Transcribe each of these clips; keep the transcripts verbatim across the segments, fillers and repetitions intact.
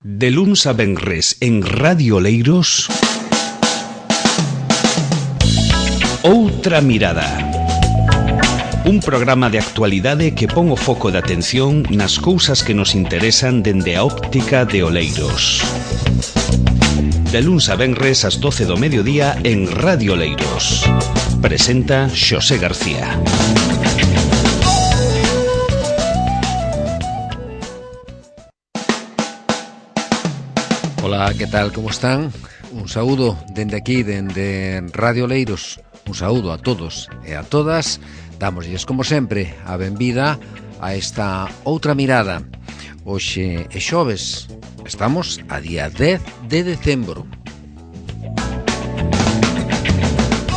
De luns a venres en Radio Oleiros, Outra Mirada. Un programa de actualidade que pon o foco de atención nas cousas que nos interesan dende a óptica de Oleiros. De luns a venres ás doce do mediodía en Radio Oleiros. Presenta Xosé García. Ola, que tal, como están? Un saúdo dende aquí, dende Radio Oleiros. Un saúdo a todos e a todas. Dámoslles, como sempre, a benvida a esta Outra Mirada. Hoxe é xoves. Estamos a día dez de decembro.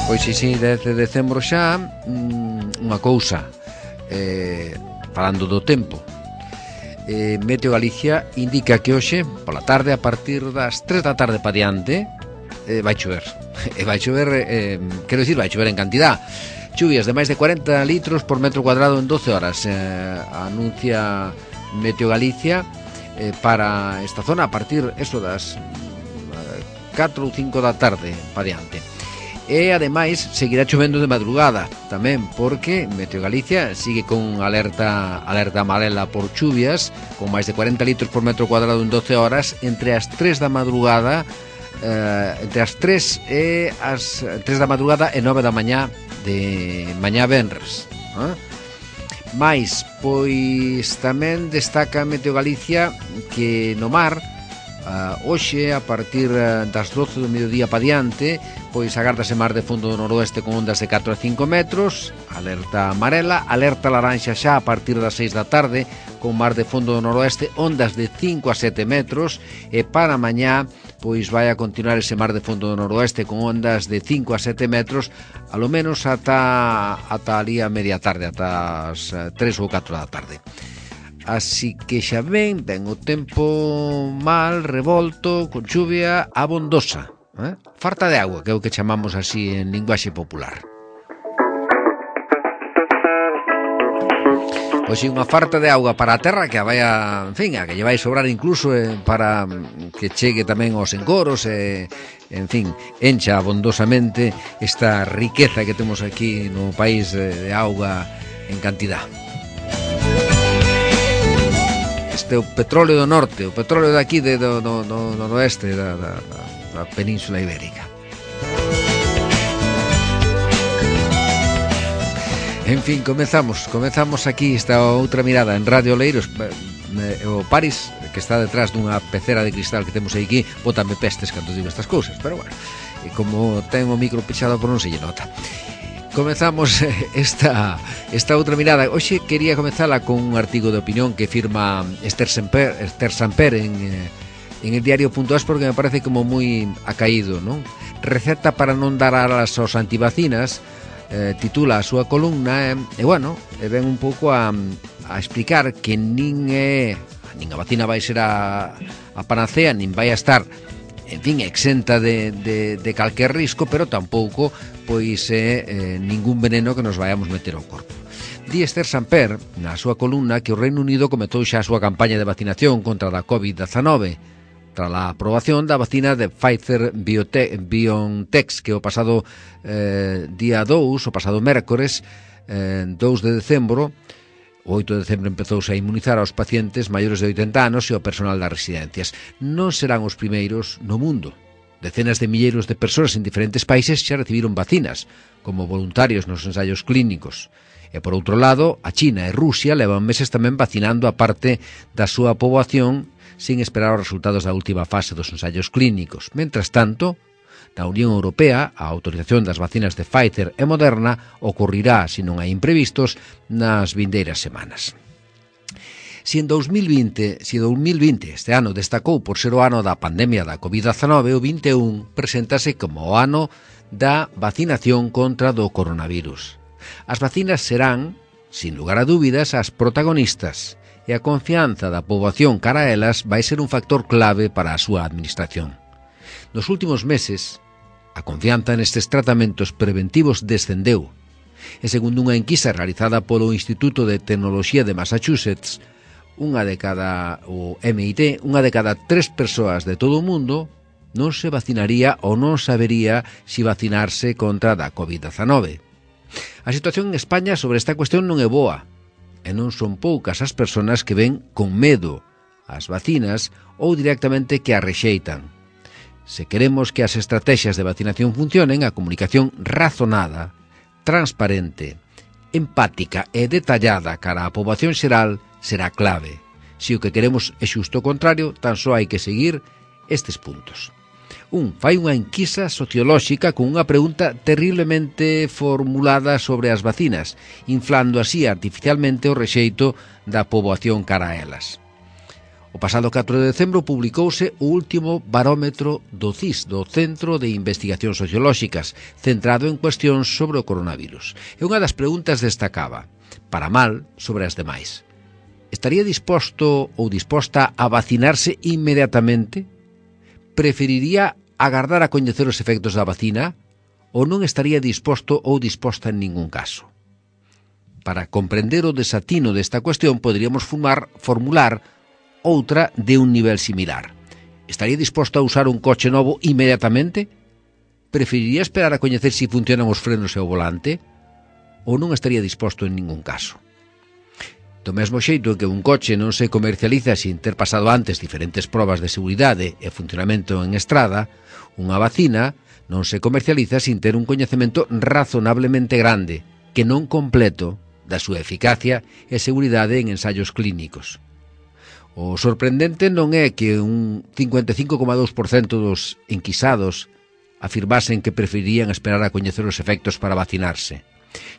Pois si, si, dez de decembro xa. Unha cousa, eh, falando do tempo. Eh, Meteo Galicia indica que hoxe, pola tarde, a partir das tres da tarde pa diante, eh, vai chover. E vai chover, eh, quero dicir, vai chover en cantidad. Chuvias de máis de cuarenta litros por metro cuadrado en doce horas. Eh, anuncia Meteo Galicia eh, para esta zona a partir, eso, das eh, catro ou cinco da tarde pa diante. E, ademais, seguirá chovendo de madrugada tamén, porque Meteo Galicia sigue con alerta alerta amarela por chuvias, con máis de cuarenta litros por metro cuadrado en doce horas, entre as tres da madrugada, eh, entre as tres e as tres da madrugada e nove da mañá de mañá venres. Eh? Mais, pois, tamén destaca Meteo Galicia que no mar, Uh, hoxe, a partir uh, das doce do mediodía pa diante, pois agárdase mar de fondo do noroeste con ondas de catro a cinco metros, alerta amarela, alerta laranxa xa a partir das seis da tarde, con mar de fondo do noroeste, ondas de cinco a sete metros, e para mañá, pois vai a continuar ese mar de fondo do noroeste con ondas de cinco a sete metros, alo menos ata, ata ali a media tarde, ata as uh, tres ou catro da tarde. Así que xa ven, ven o tempo mal, revolto, con chuvia abondosa, eh? Farta de agua, que é o que chamamos así en linguaxe popular. Pois si, unha farta de auga para a terra que a vai a, en fin, a que lle vai sobrar incluso eh, para que chegue tamén aos encoros e, eh, en fin, encha abondosamente esta riqueza que temos aquí no país de, de auga en cantidad. Este é o petróleo do norte, o petróleo daqui de, do, do, do noroeste da, da, da Península Ibérica. En fin, comezamos, comezamos aquí esta outra mirada en Radio Oleiros. O Paris, que está detrás dunha pecera de cristal que temos aquí, bótame pestes cando digo estas cousas, pero bueno, e como ten o micro pechado por non se lle nota. Comezamos esta, esta outra mirada. Hoxe quería comezala con un artigo de opinión que firma Esther Samper, Esther Samper en, en el diario punto es, porque me parece como moi acaído, non? Receta para non dar alas aos antivacinas, eh, titula a súa columna, e, e bueno, e ven un pouco a, a explicar que nin é, nin a vacina vai ser a, a panacea, nin vai a estar, en fin, exenta de, de, de calquer risco, pero tampouco pois é eh, ningún veneno que nos vayamos meter ao corpo. Di Esther Samper, na súa columna, que o Reino Unido comezou xa a súa campaña de vacinación contra a covid dezanove, tras a aprobación da vacina de Pfizer BioNTech, que o pasado eh, día dous, o pasado mércores, eh, dous de decembro, o oito de decembro empezouse a inmunizar aos pacientes maiores de oitenta anos e ao personal das residencias. Non serán os primeiros no mundo. Decenas de milleiros de persoas en diferentes países xa recibiron vacinas, como voluntarios nos ensaios clínicos. E, por outro lado, a China e Rusia levan meses tamén vacinando a parte da súa poboación sin esperar os resultados da última fase dos ensaios clínicos. Mentras tanto, na Unión Europea, a autorización das vacinas de Pfizer e Moderna ocorrirá, se non hai imprevistos, nas vindeiras semanas. Si en dous mil vinte, si dous mil vinte este ano destacou por ser o ano da pandemia da covid dezanove, o vinte e un preséntase como o ano da vacinación contra do coronavirus. As vacinas serán, sin lugar a dúbidas, as protagonistas, e a confianza da poboación cara a elas vai ser un factor clave para a súa administración. Nos últimos meses, a confianza nestes tratamentos preventivos descendeu, e segundo unha enquisa realizada polo Instituto de Tecnoloxía de Massachusetts, unha de cada, o M I T, unha de cada tres persoas de todo o mundo non se vacinaría ou non sabería si vacinarse contra da covid dezanove. A situación en España sobre esta cuestión non é boa, e non son poucas as persoas que ven con medo as vacinas ou directamente que as rexeitan. Se queremos que as estrategias de vacinación funcionen, a comunicación razonada, transparente, empática e detallada cara á poboación xeral será clave. Se o que queremos é xusto o contrario, tan só hai que seguir estes puntos. Un, fai unha enquisa sociolóxica con unha pregunta terriblemente formulada sobre as vacinas, inflando así artificialmente o rexeito da poboación cara a elas. O pasado catro de decembro publicouse o último barómetro do C I S, do Centro de Investigacións Sociolóxicas, centrado en cuestións sobre o coronavirus. E unha das preguntas destacaba, para mal, sobre as demais. Estaría disposto ou disposta a vacinarse inmediatamente? Preferiría agardar a coñecer os efectos da vacina ou non estaría disposto ou disposta en ningún caso? Para comprender o desatino desta cuestión, poderíamos formar, formular outra de un nivel similar. Estaría disposto a usar un coche novo inmediatamente? Preferiría esperar a coñecer si funcionan os frenos e o volante? Ou non estaría disposto en ningún caso? Do mesmo xeito que un coche non se comercializa sin ter pasado antes diferentes probas de seguridade e funcionamento en estrada, unha vacina non se comercializa sin ter un coñecemento razonablemente grande, que non completo, da súa eficacia e seguridade en ensaios clínicos. O sorprendente non é que un cincuenta e cinco coma dous por cento dos enquisados afirmasen que preferirían esperar a coñecer os efectos para vacinarse,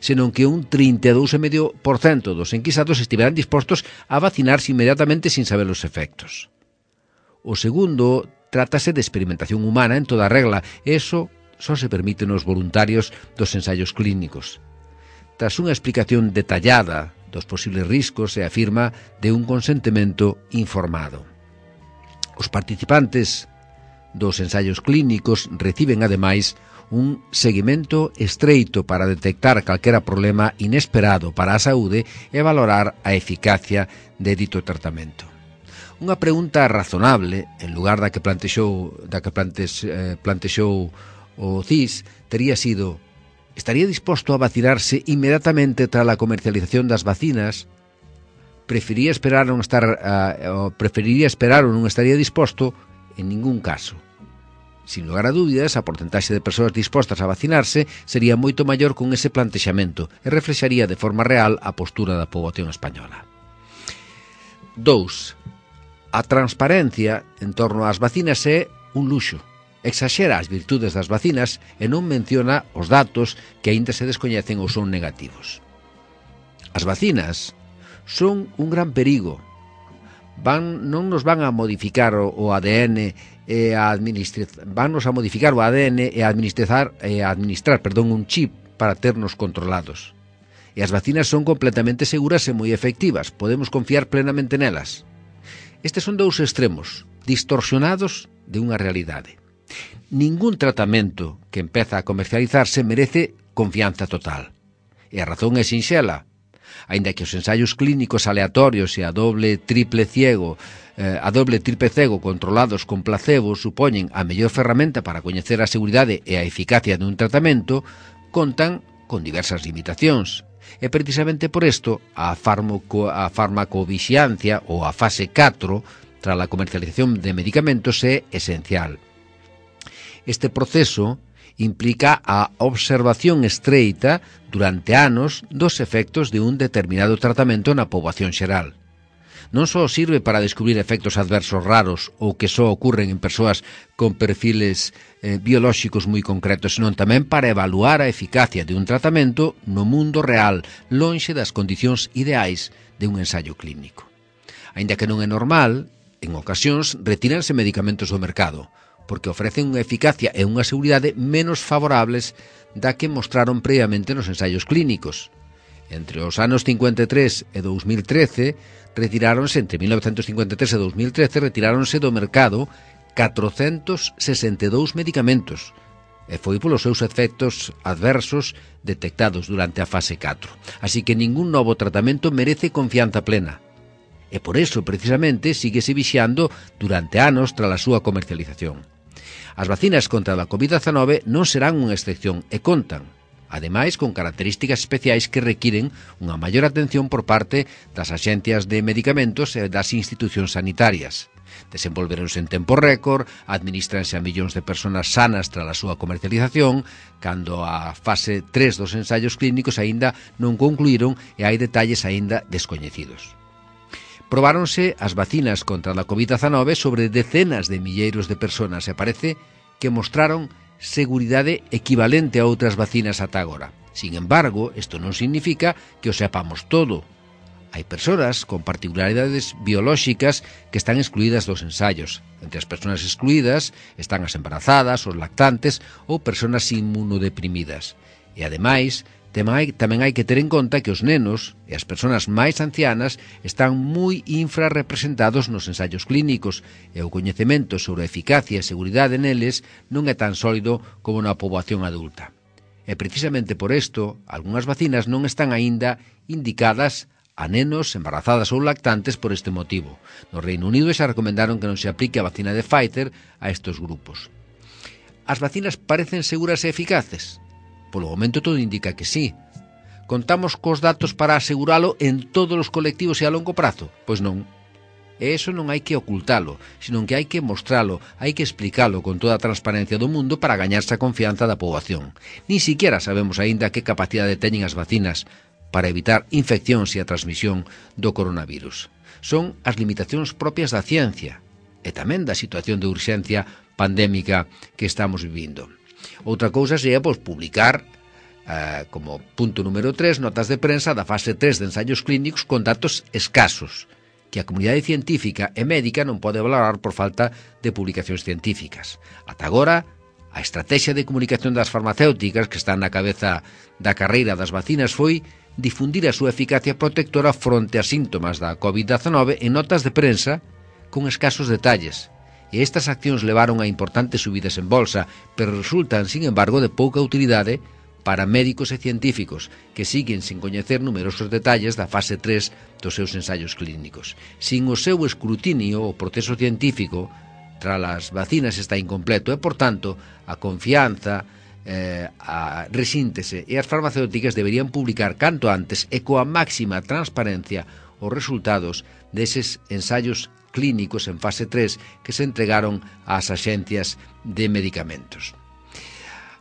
senón que un trinta e dous coma cinco por cento dos enquisados estiveran dispostos a vacinarse inmediatamente sin saber os efectos. O segundo, trátase de experimentación humana en toda regla, e iso só se permite nos voluntarios dos ensaios clínicos. Tras unha explicación detallada dos posibles riscos, se afirma de un consentimento informado. Os participantes dos ensaios clínicos reciben, ademais, un seguimento estreito para detectar calquera problema inesperado para a saúde e valorar a eficacia de dito tratamento. Unha pregunta razonable, en lugar da que plantexou, da que plantex, eh, plantexou o C I S, tería sido: estaría disposto a vacinarse inmediatamente tras a comercialización das vacinas? Preferiría esperar non estar, uh, preferiría esperar ou non estaría disposto? En ningún caso. Sin lugar a dúbidas, a porcentaxe de persoas dispostas a vacinarse sería moito maior con ese plantexamento e reflexaría de forma real a postura da poboación española. Dous. A transparencia en torno ás vacinas é un luxo. Exaxera as virtudes das vacinas e non menciona os datos que aínda se descoñecen ou son negativos. As vacinas son un gran perigo. Van, non nos van a modificar o, o A D N e a administrar, vannos a modificar o A D N e a administrar, e a administrar perdón, un chip para ternos controlados. E as vacinas son completamente seguras e moi efectivas. Podemos confiar plenamente nelas. Estes son dous extremos distorsionados de unha realidade. Ningún tratamento que empeza a comercializarse merece confianza total. E a razón é sinxela. Aínda que os ensaios clínicos aleatorios e a doble triple ciego, eh, a doble triple cego controlados con placebo supoñen a mellor ferramenta para coñecer a seguridade e a eficacia dun tratamento, contan con diversas limitacións. E precisamente por isto a, farmaco, a farmacovixiancia ou a fase catro tras a comercialización de medicamentos é esencial. Este proceso implica a observación estreita durante anos dos efectos de un determinado tratamento na poboación xeral. Non só sirve para descubrir efectos adversos raros ou que só ocurren en persoas con perfiles eh, biolóxicos moi concretos, senón tamén para evaluar a eficacia de un tratamento no mundo real, lonxe das condicións ideais de un ensaio clínico. Aínda que non é normal, en ocasións retíranse medicamentos do mercado, porque ofrecen unha eficacia e unha seguridade menos favorables da que mostraron previamente nos ensaios clínicos. Entre os anos cincuenta e tres e dos mil trece, retiráronse, entre mil novecentos cincuenta e tres e dos mil trece, retiráronse do mercado catrocentos sesenta e dous medicamentos, e foi polos seus efectos adversos detectados durante a fase catro. Así que ningún novo tratamento merece confianza plena. e por eso, precisamente, síguese vixando durante anos tras a súa comercialización. As vacinas contra a covid dezanove non serán unha excepción e contan, ademais, con características especiais que requiren unha maior atención por parte das axencias de medicamentos e das institucións sanitarias. Desenvolveronse en tempo récord, administranse a millóns de persoas sanas tras a súa comercialización, cando a fase tres dos ensaios clínicos aínda non concluíron e hai detalles aínda descoñecidos. Probáronse as vacinas contra a covid dezanove sobre decenas de milleiros de persoas e parece que mostraron seguridade equivalente a outras vacinas ata agora. Sin embargo, isto non significa que o sepamos todo. Hai persoas con particularidades biolóxicas que están excluídas dos ensaios. Entre as persoas excluídas están as embarazadas, os lactantes ou persoas inmunodeprimidas. E, ademais, tamén hai que ter en conta que os nenos e as persoas máis ancianas están moi infrarrepresentados nos ensaios clínicos e o coñecemento sobre a eficacia e seguridade neles non é tan sólido como na poboación adulta. E precisamente por isto, algunhas vacinas non están aínda indicadas a nenos, embarazadas ou lactantes por este motivo. No Reino Unido xa recomendaron que non se aplique a vacina de Pfizer a estes grupos. As vacinas parecen seguras e eficaces? Polo momento todo indica que sí. Contamos cos datos para aseguralo en todos os colectivos e a longo prazo? Pois non. E iso non hai que ocultalo, senón que hai que mostralo, hai que explicalo con toda a transparencia do mundo para gañarse a confianza da poboación. Ni siquiera sabemos aínda que capacidade teñen as vacinas para evitar infeccións e a transmisión do coronavirus. Son as limitacións propias da ciencia e tamén da situación de urxencia pandémica que estamos vivindo. Outra cousa sería pois, publicar, eh, como punto número tres, notas de prensa da fase tres de ensaios clínicos con datos escasos, que a comunidade científica e médica non pode valorar por falta de publicacións científicas. Ata agora, a estrategia de comunicación das farmacéuticas que están na cabeza da carreira das vacinas foi difundir a súa eficacia protectora fronte a síntomas da covid dezanove en notas de prensa con escasos detalles. E estas accións levaron a importantes subidas en bolsa, pero resultan, sin embargo, de pouca utilidade para médicos e científicos que siguen sin coñecer numerosos detalles da fase tres dos seus ensaios clínicos. Sin o seu escrutinio, o proceso científico tras as vacinas está incompleto e, por tanto, a confianza, eh, a resíntese e as farmacéuticas deberían publicar canto antes e coa máxima transparencia os resultados deses ensaios clínicos en fase tres que se entregaron ás axencias de medicamentos.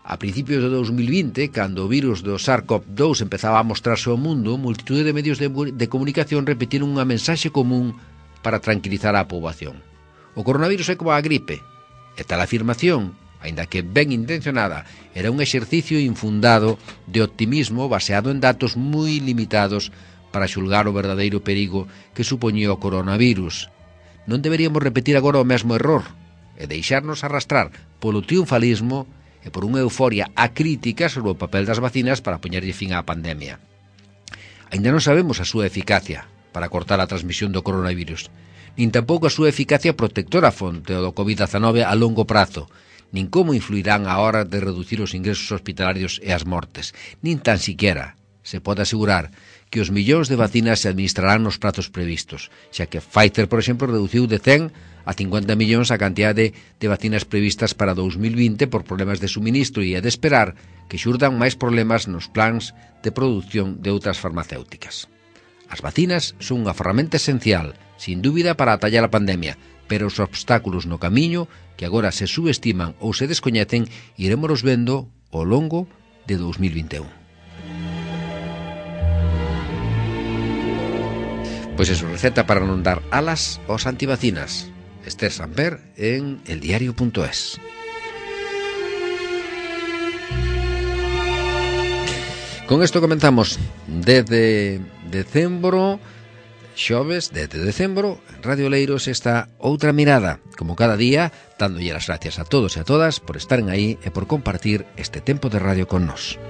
A principios de dos mil vinte, cando o virus do SARS-CoV dos empezaba a mostrarse ao mundo, multitude de medios de, de comunicación repetiron unha mensaxe común para tranquilizar a poboación. O coronavirus é como a gripe, e tal afirmación, aínda que ben intencionada, era un exercicio infundado de optimismo baseado en datos moi limitados para xulgar o verdadeiro perigo que supoñía o coronavirus. Non deberíamos repetir agora o mesmo error e deixarnos arrastrar polo triunfalismo e por unha euforia acrítica sobre o papel das vacinas para poñerlle fin á pandemia. Aínda non sabemos a súa eficacia para cortar a transmisión do coronavirus, nin tampouco a súa eficacia protectora fronte ao covid dezanove a longo prazo, nin como influirán a hora de reducir os ingresos hospitalarios e as mortes, nin tan siquiera se pode asegurar que os millóns de vacinas se administrarán nos prazos previstos, xa que Pfizer, por exemplo, reduciu de cen a cincuenta millóns a cantidade de vacinas previstas para dos mil vinte por problemas de suministro e é de esperar que xurdan máis problemas nos plans de produción de outras farmacéuticas. As vacinas son unha ferramenta esencial, sin dúbida, para atallar a pandemia, pero os obstáculos no camiño, que agora se subestiman ou se descoñecen, iremos vendo ao longo de dos mil vinte e un. Pois eso, receta para non dar alas aos antivacinas. Esther Samper en eldiario punto es. Con isto comenzamos desde decembro, xoves, desde decembro, en Radio Oleiros está outra mirada, como cada día, dándolle as gracias a todos e a todas por estaren aí e por compartir este tempo de radio con nós.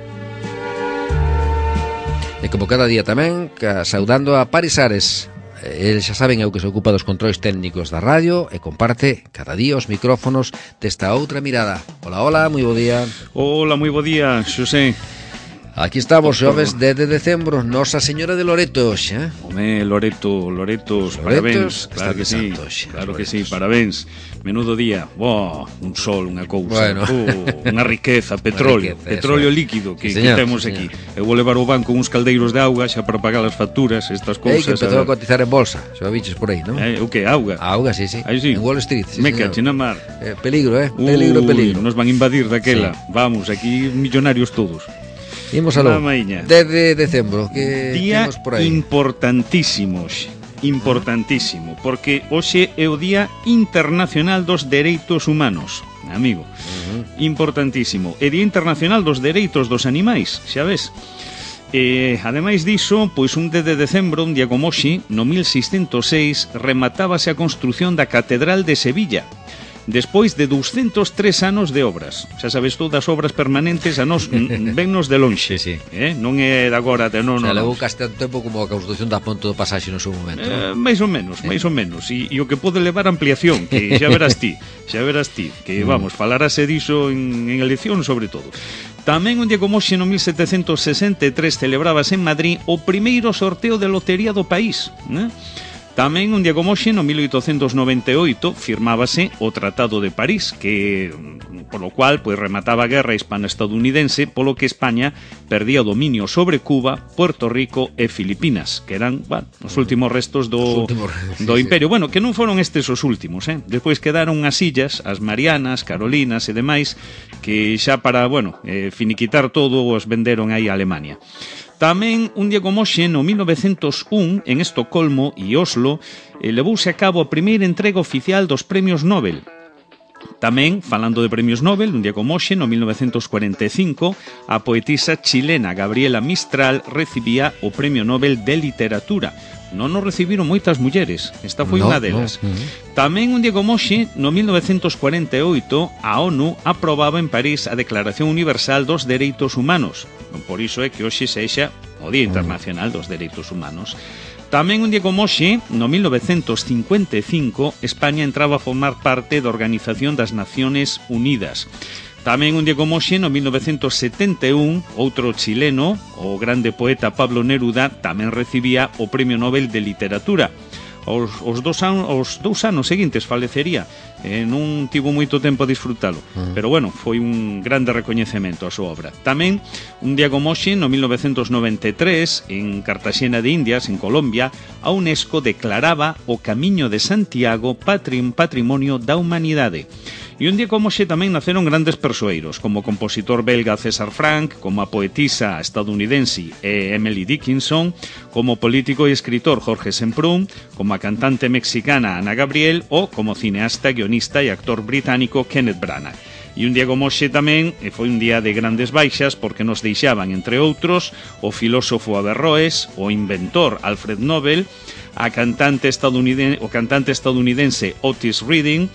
E como cada día tamén, saudando a Paris Ares. El, xa saben, é o que se ocupa dos controis técnicos da radio e comparte cada día os micrófonos desta outra mirada. Hola, hola, moi bo día. Hola, moi bo día, Xosé. Aquí estamos, xoves dez de decembro, Nosa Señora de Loreto, xa. Home, Loreto, Loretos, parabéns. Claro que sí, claro que sí, parabéns. Menudo día, oh, un sol, unha cousa, bueno. oh, unha riqueza, petróleo, riqueza, petróleo líquido que, sí, que temos sí, aquí. Eu vou levar ao banco uns caldeiros de auga xa para pagar as facturas, estas cousas. Ei, que empezou a cotizar en bolsa, xa biches por aí, non? Eh, o que, auga? A auga, sí, sí, Aí sí. En Wall Street, sí, Me señor. caché na mar. Eh, peligro, eh, peligro, Uy, peligro. Nos van a invadir daquela, sí. Vamos, aquí millonarios todos. Imos aló, dez de decembro, que día temos por aí? Importantísimo, importantísimo, porque hoxe é o Día Internacional dos Dereitos Humanos, amigo, uh-huh. Importantísimo, é Día Internacional dos Dereitos dos Animais, xa ves. E, ademais diso, pois un dez de decembro, un día como hoxe, no mil seiscentos seis, rematábase a construción da Catedral de Sevilla, despois de douscentos tres anos de obras. Xa sabes todas as obras permanentes a nos vennos de lonxe, sí, sí. Eh? Non é de agora, de non, non. Levou case tanto tempo como a construción da Ponte do Pasaxe no seu momento, eh, máis ou menos, máis ou menos. E, e o que pode levar ampliación, que xa verás ti, xa verás ti, que vamos, falarase diso en, en elección sobre todo. Tamén un día como hoxe no mil setecentos sesenta e tres celebrábase en Madrid o primeiro sorteo de lotería do país, né? Tamén un día como hoxe, no mil oitocentos noventa e oito, firmábase o Tratado de París, que polo cual pois remataba a guerra hispano-estadounidense, polo que España perdía o dominio sobre Cuba, Puerto Rico e Filipinas, que eran, bueno, os últimos restos do, últimos, do sí, imperio. sí. Bueno, que non foron estes os últimos, eh? Despois quedaron as illas, as Marianas, Carolinas e demais, que xa para, bueno, eh, finiquitar todo os venderon aí a Alemania. Tamén, un día como hoxe, no mil novecentos un, en Estocolmo e Oslo, eh, levouse a cabo a primeira entrega oficial dos premios Nobel. Tamén, falando de premios Nobel, un día como hoxe, no mil novecentos cuarenta e cinco, a poetisa chilena Gabriela Mistral recibía o Premio Nobel de Literatura. Non nos recibiron moitas mulleres, esta foi no, unha delas. No, uh-huh. Tamén un día como hoxe, no mil novecentos cuarenta e oito, a ONU aprobaba en París a Declaración Universal dos Dereitos Humanos. Por iso é que hoxe sexa o Día Internacional dos Dereitos Humanos. Tamén un día como hoxe, no mil novecentos cincuenta e cinco, España entraba a formar parte da Organización das Naciones Unidas. Tamén un día como hoxe, no mil novecentos setenta e un, outro chileno, o grande poeta Pablo Neruda, tamén recibía o Premio Nobel de Literatura. Os, os, dos, an, os dous anos seguintes falecería, eh, non tivo moito tempo a disfrutalo, uh-huh. Pero bueno, foi un grande recoñecemento a súa obra. Tamén, un día como hoxe, no mil novecentos noventa e tres, en Cartagena de Indias, en Colombia, a UNESCO declaraba o Camiño de Santiago patrim, Patrimonio da Humanidade. E un día como hoxe tamén naceron grandes persoeiros, como o compositor belga César Franck, como a poetisa estadounidense Emily Dickinson, como o político e escritor Jorge Semprún, como a cantante mexicana Ana Gabriel ou como cineasta, guionista e actor británico Kenneth Branagh. E un día como hoxe tamén foi un día de grandes baixas porque nos deixaban, entre outros, o filósofo Averroes, o inventor Alfred Nobel, a cantante estadounidense, o cantante estadounidense Otis Redding,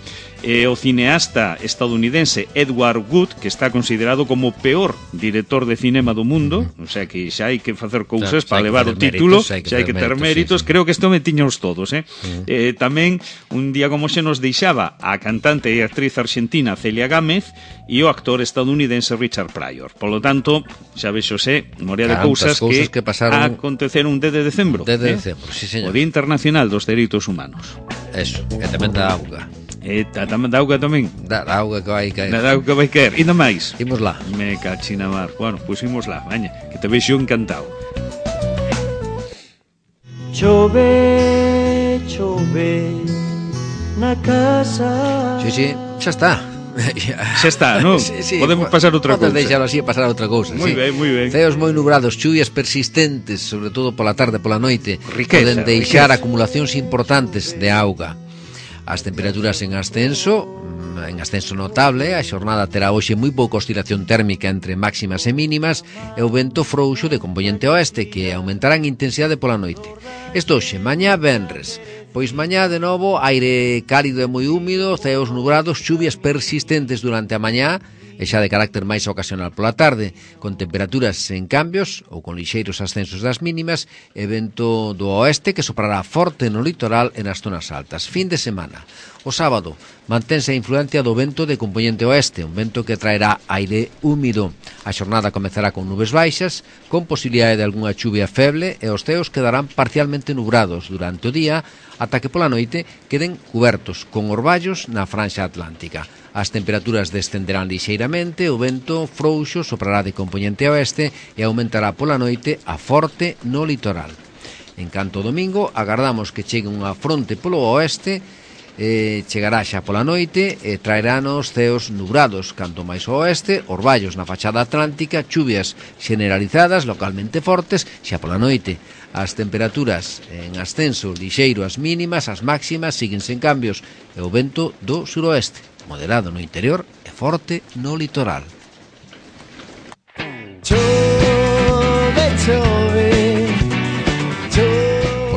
e o cineasta estadounidense Edward Wood, que está considerado como o peor director de cinema do mundo, o sea que xa hai que facer cousas para levar o título, xa hai que ter méritos, creo que isto me tiños todos, eh? Uh-huh. eh tamén un día como xe nos deixaba a cantante e actriz argentina Celia Gámez e o actor estadounidense Richard Pryor. Por lo tanto, xa vexo xe, morea de cousas, cousas que, que pasaron... aconteceron un dez de decembro, dez de eh? decembro, sí, señor. O Día Internacional dos Dereitos Humanos. Eso, que tamén da auga. E tamén da auga tamén. Da, da auga que vai caer. Da auga que vai caer. E nada máis. Imos lá. Me cachina mar. Bueno, pois pues imos lá, maña, que te vexo encantado. Chove, chove na casa. Sí, sí, xa está. Xa está, non? Sí, sí, podemos pasar outra cousa. Podes deixalo así e pasar outra cousa. Moi sí. ben, moi ben. Ceos moi nubrados, chuvias persistentes, sobre todo pola tarde, pola noite, riqueza, poden deixar riqueza. Acumulacións importantes de auga. As temperaturas en ascenso, en ascenso notable, a xornada terá hoxe moi pouca oscilación térmica entre máximas e mínimas e o vento frouxo de componente oeste que aumentará en intensidade pola noite. Isto hoxe, mañá venres. Pois mañá de novo, aire cálido e moi húmido, ceos nubrados, chuvias persistentes durante a mañá e xa de carácter máis ocasional pola tarde, con temperaturas en cambios ou con lixeiros ascensos das mínimas e vento do oeste que soprará forte no litoral e nas zonas altas. Fin de semana. O sábado mantense a influencia do vento de componente oeste, un vento que traerá aire húmido. A xornada comezará con nubes baixas, con posibilidade de algunha chuvia feble, e os ceos quedarán parcialmente nubrados durante o día, ata que pola noite queden cubertos con orballos na franxa atlántica. As temperaturas descenderán lixeiramente, o vento frouxo soprará de componente oeste e aumentará pola noite a forte no litoral. En canto ao domingo, agardamos que chegue unha fronte polo oeste, eh, chegará xa pola noite e traerán os ceos nubrados, canto máis ao oeste, orballos na fachada atlántica, chuvias generalizadas, localmente fortes, xa pola noite. As temperaturas en ascenso lixeiro as mínimas, as máximas siguen sen cambios, e o vento do suroeste, moderado no interior e forte no litoral. Chove, chove.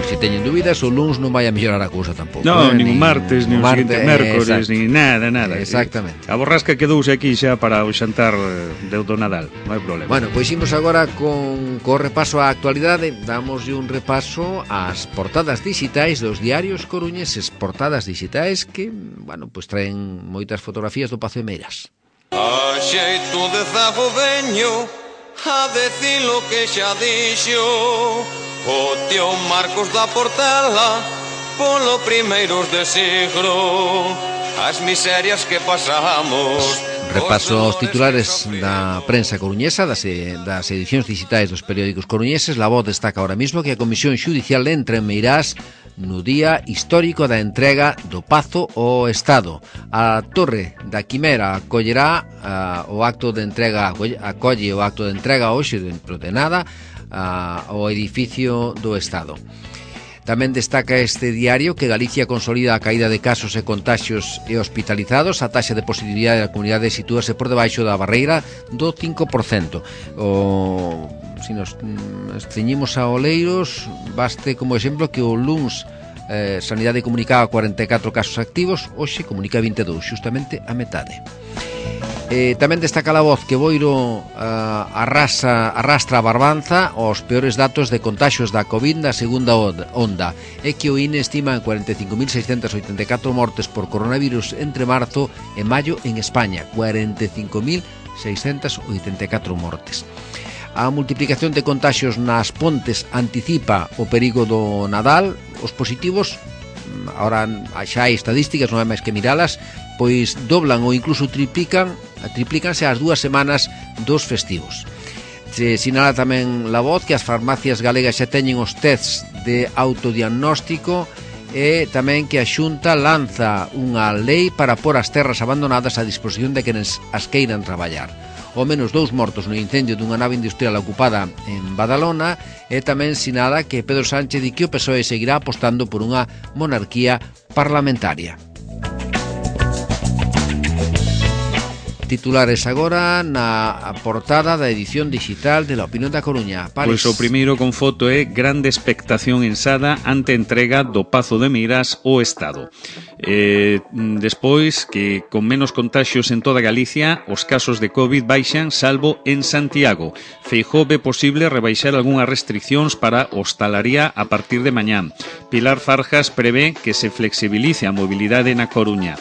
Se teñen dúbidas, o luns non vai a mellorar a cousa tampouco. No, eh? nin o martes, nin o seguinte mércores, nin nada, nada. Exactamente. A borrasca quedouse aquí xa para o xantar de do Nadal, non hai problema. Bueno, pois imos agora con co repaso á actualidade. Damoslle un repaso ás portadas digitais dos diarios coruñeses, portadas digitais que, bueno, pois traen moitas fotografías do Pazo de Meiras. A xeito de zago veño a decir lo que xa dixo o tío Marcos da Portela polo primeiros de siglo, as miserias que pasamos. Repaso aos titulares da prensa coruñesa, das, das edicións digitais dos periódicos coruñeses. La Voz destaca ahora mismo que a Comisión Xudicial entra en Meirás no día histórico da entrega do Pazo ao Estado. A Torre da Quimera acollerá uh, o acto de entrega, acolle o acto de entrega hoxe dentro de nada uh, ao edificio do Estado. Tamén destaca este diario que Galicia consolida a caída de casos e contaxios e hospitalizados. A taxa de positividade da comunidade sitúase por debaixo da barreira do cinco por cento. O, se nos ceñimos a Oleiros, baste como exemplo que o luns eh, Sanidade comunicaba cuarenta e catro casos activos, hoxe comunica vinte e dous, justamente a metade. Eh, tamén destaca La Voz que Boiro uh, arrasa, arrastra a Barbanza aos peores datos de contaxios da COVID na segunda onda, e que o I N E estima en cuarenta e cinco mil seiscentas oitenta e catro mortes por coronavirus entre marzo e maio en España, cuarenta e cinco mil seiscentas oitenta e catro mortes. A multiplicación de contaxios nas Pontes anticipa o perigo do Nadal. Os positivos, ahora xa hai estadísticas, non hai máis que miralas, pois doblan ou incluso triplican, triplícanse as dúas semanas dos festivos. Se sinala tamén La Voz que as farmacias galegas xa teñen os tests de autodiagnóstico, e tamén que a Xunta lanza unha lei para pôr as terras abandonadas a disposición de quenes as queiran traballar. Ao menos dous mortos no incendio dunha nave industrial ocupada en Badalona, e tamén sinala que Pedro Sánchez di que o P S O E seguirá apostando por unha monarquía parlamentaria. Titulares agora na portada da edición digital de La Opinión da Coruña. Pois o primeiro con foto é grande expectación en Sada ante entrega do Pazo de Meirás ao Estado. Eh, despois que con menos contaxios en toda Galicia, os casos de COVID baixan salvo en Santiago. Feijóo ve posible rebaixar algunhas restriccións para hostalaría a partir de mañán. Pilar Farjas prevé que se flexibilice a mobilidade na Coruña.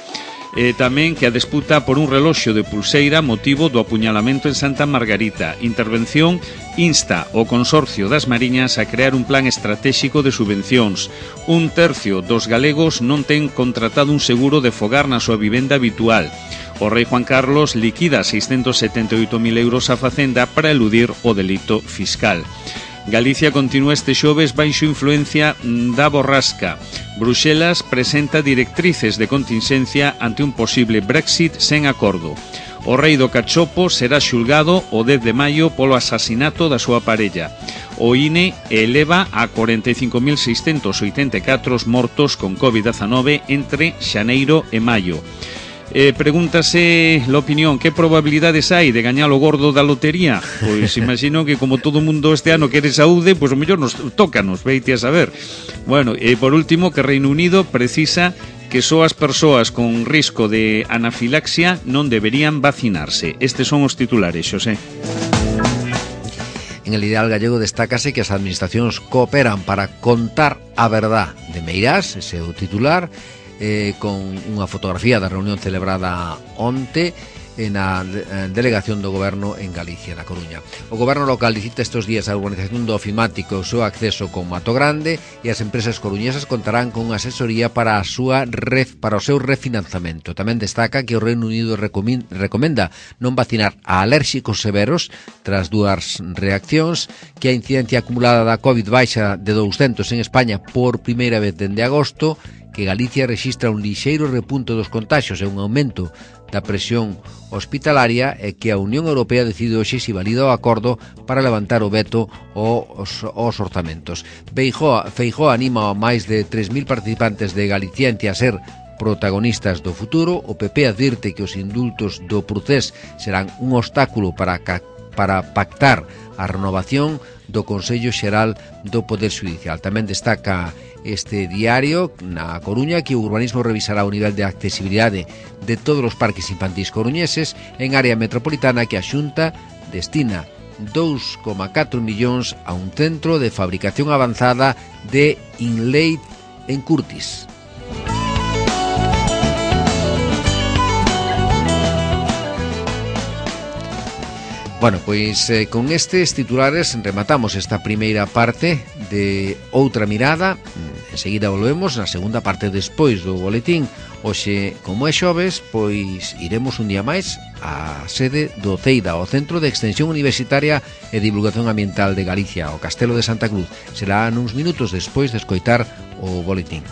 E tamén que a disputa por un reloxo de pulseira motivo do apuñalamento en Santa Margarita. Intervención insta o Consorcio das Mariñas a crear un plan estratégico de subvencións. Un tercio dos galegos non ten contratado un seguro de fogar na súa vivenda habitual. O rei Juan Carlos liquida seiscentos setenta e oito mil euros a Facenda para eludir o delito fiscal. Galicia continúa este xoves baixo influencia da borrasca. Bruxelas presenta directrices de contingencia ante un posible Brexit sen acordo. O rei do cachopo será xulgado o dez de maio polo asasinato da súa parella. O I N E eleva a cuarenta e cinco mil seiscentos oitenta e catro mortos con COVID diecinueve entre xaneiro e maio. Eh, pregúntase la opinión, que probabilidades hai de gañar o gordo da lotería? Pois imagino que como todo mundo este ano quere saúde, pois o mellor nos tócanos, veite a saber. Bueno, e por último, que Reino Unido precisa que só as persoas con risco de anafilaxia non deberían vacinarse. Estes son os titulares, Xosé. En el ideal gallego destácase que as administracións cooperan para contar a verdad de Meirás, ese é o titular, eh, con unha fotografía da reunión celebrada onte na delegación do Goberno en Galicia, na Coruña. O Goberno local licita estes días a urbanización do Ofimático e o seu acceso con Mato Grande, e as empresas coruñesas contarán con unha asesoría para a súa ref, para o seu refinanzamento. Tamén destaca que o Reino Unido recomenda non vacinar a alérxicos severos tras dúas reaccións, que a incidencia acumulada da COVID baixa de douscentos en España por primeira vez dende agosto, que Galicia rexistra un lixeiro repunto dos contaxios e un aumento da presión hospitalaria, e que a Unión Europea decide hoxe se valida o acordo para levantar o veto aos, aos orzamentos. Feijóo, Feijóo anima a máis de tres mil participantes de Galicientia a ser protagonistas do futuro. O P P advirte que os indultos do Procés serán un obstáculo para, para pactar a renovación do Consello Xeral do Poder Xudicial. Tamén destaca este diario na Coruña que o urbanismo revisará o nivel de accesibilidade de todos os parques infantís coruñeses en área metropolitana, que a Xunta destina dous coma catro millóns a un centro de fabricación avanzada de Inlay en Curtis. Bueno, pois eh, con estes titulares rematamos esta primeira parte de Outra Mirada. Enseguida volvemos na segunda parte despois do boletín. Hoxe, como é xoves, pois iremos un día máis á sede do CEIDA, o Centro de Extensión Universitaria e Divulgación Ambiental de Galicia, o Castelo de Santa Cruz. Será nuns minutos despois de escoitar o boletín.